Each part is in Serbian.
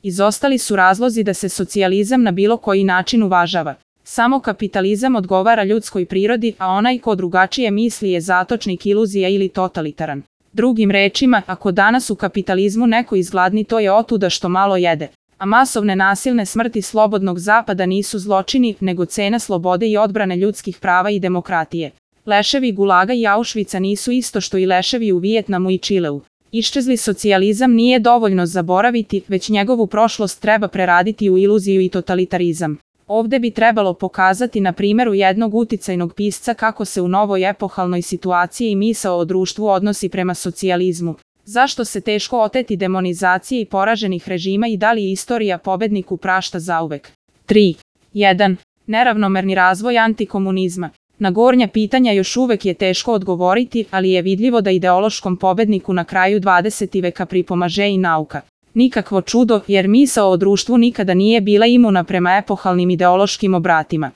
Izostali su razlozi da se socijalizam na bilo koji način uvažava. Samo kapitalizam odgovara ljudskoj prirodi, a onaj ko drugačije misli je zatočnik iluzija ili totalitaran. Drugim rečima, ako danas u kapitalizmu neko izgladni, to je otuda što malo jede. A masovne nasilne smrti slobodnog zapada nisu zločini, nego cena slobode i odbrane ljudskih prava i demokratije. Leševi Gulaga i Auschwitza nisu isto što i leševi u Vijetnamu i Čileu. Iščezli socijalizam nije dovoljno zaboraviti, već njegovu prošlost treba preraditi u iluziju i totalitarizam. Ovde bi trebalo pokazati na primjeru jednog uticajnog pisca kako se u novoj epohalnoj situaciji i misao o društvu odnosi prema socijalizmu. Zašto se teško oteti demonizacije i poraženih režima i da li istorija pobedniku prašta zauvek? 3. 1. Neravnomerni razvoj antikomunizma. Na gornja pitanja još uvek je teško odgovoriti, ali je vidljivo da ideološkom pobedniku na kraju 20. veka pripomaže i nauka. Nikakvo čudo, jer misao o društvu nikada nije bila imuna prema epohalnim ideološkim obratima.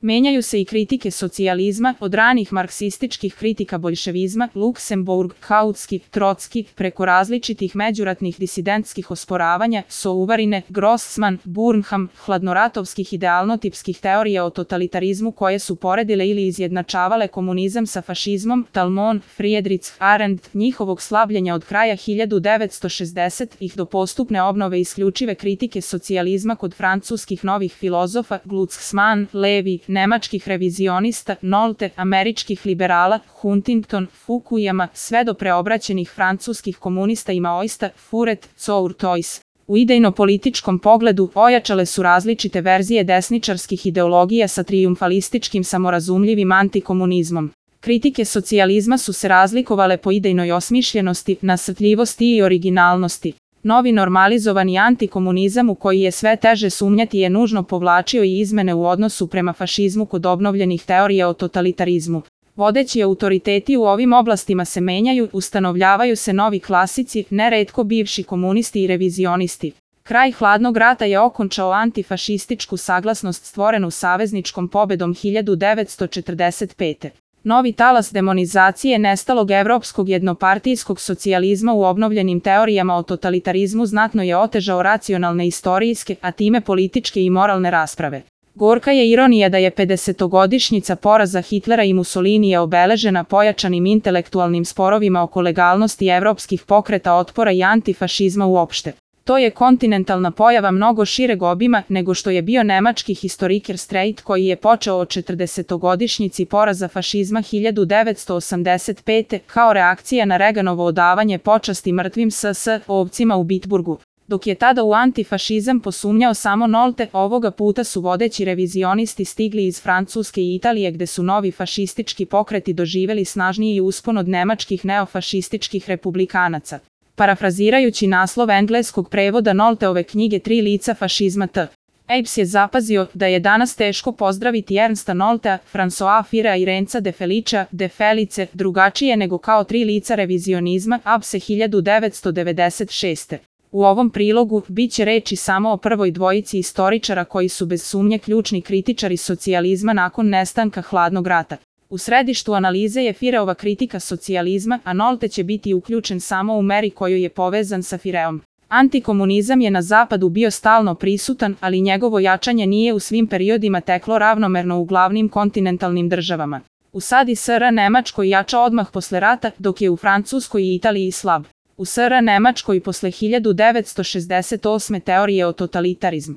Menjaju se i kritike socijalizma, od ranih marksističkih kritika boljševizma, Luksemburg, Kautski, Trotski, preko različitih međuratnih disidentskih osporavanja, Souvarine, Grossman, Burnham, hladnoratovskih idealnotipskih teorija o totalitarizmu koje su poredile ili izjednačavale komunizam sa fašizmom, Talmon, Friedrich Arendt, njihovog slabljenja od kraja 1960-ih do postupne obnove isključive kritike socijalizma kod francuskih novih filozofa, Glucksmann, Levi, nemačkih revizionista, Nolte, američkih liberala, Huntington, Fukuyama, sve do preobraćenih francuskih komunista i maoista, Furet, Courtois. U idejno-političkom pogledu ojačale su različite verzije desničarskih ideologija sa trijumfalističkim samorazumljivim antikomunizmom. Kritike socijalizma su se razlikovale po idejnoj osmišljenosti, nasrtljivosti i originalnosti. Novi normalizovani antikomunizam u koji je sve teže sumnjati je nužno povlačio i izmene u odnosu prema fašizmu kod obnovljenih teorija o totalitarizmu. Vodeći autoriteti u ovim oblastima se menjaju, ustanovljavaju se novi klasici, neretko bivši komunisti i revizionisti. Kraj hladnog rata je okončao antifašističku saglasnost stvorenu savezničkom pobedom 1945. Novi talas demonizacije nestalog evropskog jednopartijskog socijalizma u obnovljenim teorijama o totalitarizmu znatno je otežao racionalne istorijske, a time političke i moralne rasprave. Gorka je ironija da je 50-godišnjica poraza Hitlera i Mussolinija obeležena pojačanim intelektualnim sporovima oko legalnosti evropskih pokreta otpora i antifašizma uopšte. To je kontinentalna pojava mnogo šireg obima nego što je bio nemački historiker Streit koji je počeo od 40-godišnjici poraza fašizma 1985. kao reakcija na Reaganovo odavanje počasti mrtvim SS ovcima u Bitburgu. Dok je tada u antifašizam posumnjao samo Nolte, ovoga puta su vodeći revizionisti stigli iz Francuske i Italije gde su novi fašistički pokreti doživeli snažniji uspon od nemačkih neofašističkih republikanaca. Parafrazirajući naslov engleskog prevoda Nolteove knjige Tri lica fašizma T. Apes je zapazio da je danas teško pozdraviti Ernsta Noltea, François Firea i Renza de Felicea, de Felice, drugačije nego kao tri lica revizionizma, Apse 1996. U ovom prilogu bit će reči samo o prvoj dvojici istoričara koji su bez sumnje ključni kritičari socijalizma nakon nestanka hladnog rata. U središtu analize je Fireova kritika socijalizma, a Nolte će biti uključen samo u meri koju je povezan sa Fireom. Antikomunizam je na zapadu bio stalno prisutan, ali njegovo jačanje nije u svim periodima teklo ravnomerno u glavnim kontinentalnim državama. U SAD Nemačkoj jača odmah posle rata, dok je u Francuskoj i Italiji slab. U Nemačkoj posle 1968. teorije o totalitarizmu.